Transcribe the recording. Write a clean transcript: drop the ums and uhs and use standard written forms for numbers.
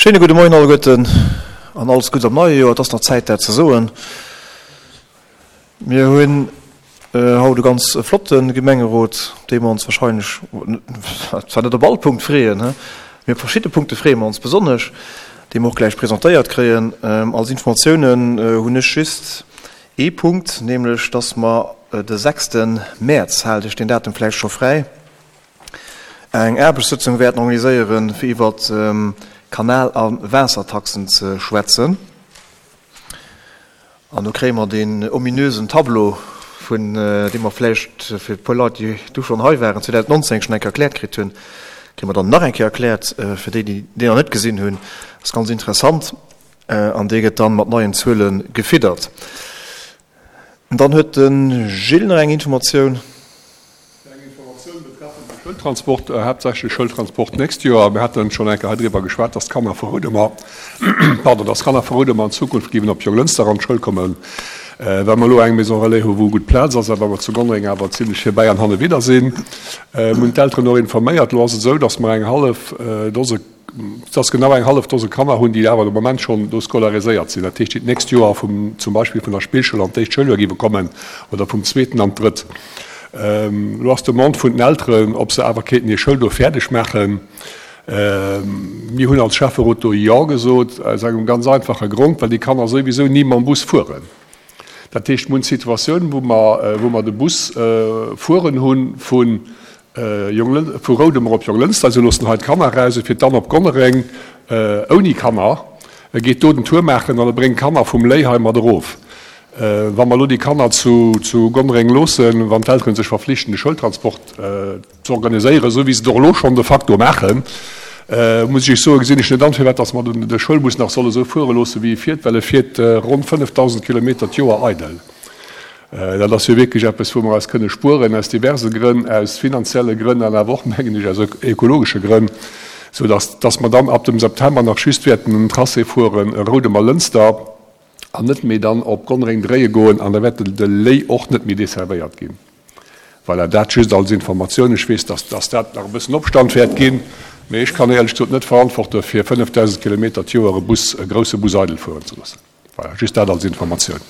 Schéine gudde Moien alleguerten an alles Guddes am neie Joer. Et ass nach Zäit dat ze soen. Mir hunn haut e ganz flotte Gemengerot, op dee mer ons wahrscheinlech zwar net op all Punkt freeën, mee op verschidde Punkte freeë mer ons besonnesch, déi mer och gläich presentéiert kréien. Als Informatiounen hunn ech just ee Punkt, nämlech dass mer de sechste Mäerz, haalt Iech deen Datum vläicht scho fräi, eng Aarbechtssëtzung wäerten organiséieren, fir iwwert Kanal a Waassertaxen ze schwätzen. An do kréie mer deen ominösen Tableau, vun deem mer vläicht fir e puer Leit, déi du schonn hei waren, 2019 schonn eng Kéier erkläert kritt hunn, kréie mer dann nach eng Kéier erkläert, fir déi, déi deen nach net gesinn hunn. Ass ganz interessant. An dee gëtt dann mat neien Zuele gefiddert. Dann huet de Gilles nach eng Informatioun. Eng Informatioun betreffend de Schoultransport, haaptsächlech Schoultransport d'nächst Joer. Mir haten schonn eng Kéier hei driwwer geschwat, dass d'Kanner vu Roudemer, pardon, dass d'Kanner vu Roudemer an Zukunft géiwen op Jonglënster an d'Schoul kommen, well mer elo eng Maison relais hu wou gutt Plaz ass a well mer zu Gonnereng awer zimlech virbäi an hannewidder sinn. Mir hunn d'Elteren och informéiert. Elo ass et esou, dass mer eng hallef Dose, dass genau eng hallef Dose Kanner hunn, déi awer de Moment schonn do scolariséiert sinn, dat heescht, déi d'nächst Joer vum, zum Beispill vun der Spillschoul an d'éischt Schouljoer géiwe kommen oder vum zweeten an d'drëtt. Elo ass d'Demande vun den Elteren, ob se awer kéinten hir Schoul do fäerdeg maachen. Mir hunn als Schäfferot do Jo gesot, aus engem ganz einfache Grond, well déi Kanner souwisou ni mam Bus fueren. Dat heescht, mir hunn d'Situatioun, wou mer, wou mer de Bus fueren hu vu Vu Roudemer op Jonglënster, se loossen hei d'Kanner eraus, e fiert dann op Gonnereng ouni Kanner, e geet do den Tour maachen an e bréngt d'Kanner vum Léi hei mat erof. Wa mer elo déi Kanner zu Gonnereng loossen, wann d'Eltere sech verflichten, de Schoultransport ze organiséieren, esou wéi se et och elo schonn de facto maachen, muss ech Iech soen, gesinn ech net an, firwat datt mer de Schoulbus nach solle sou fuere loossen, wéi e fiert, well e fiert ronn 5.000 Kilometer d'Joer eidel. Dat ass jo wierklech eppes, wou mer eis kënne spueren, aus diverse Grënn, aus finanzielle Grënn an awer och, mengen ech, aus ökologesche Grënn, sou dass, dass mer dann ab dem September nach just wäerten en Tracé fueren Roudemer-Lënster an net méi dann op Gonnereng dréie goen an da wäert de Léi och net méi desservéiert ginn. Voilà, dat just als Informatioun. Ech weess, dass, dass dat nach e bëssen Opstand wäert ginn, mee ech kann éierlech gesot net verantworten, fir 5.000 Kilometer d'Joer e Bus, e grouse Bus eidel fueren ze loossen. Voilà, just dat als Informatioun.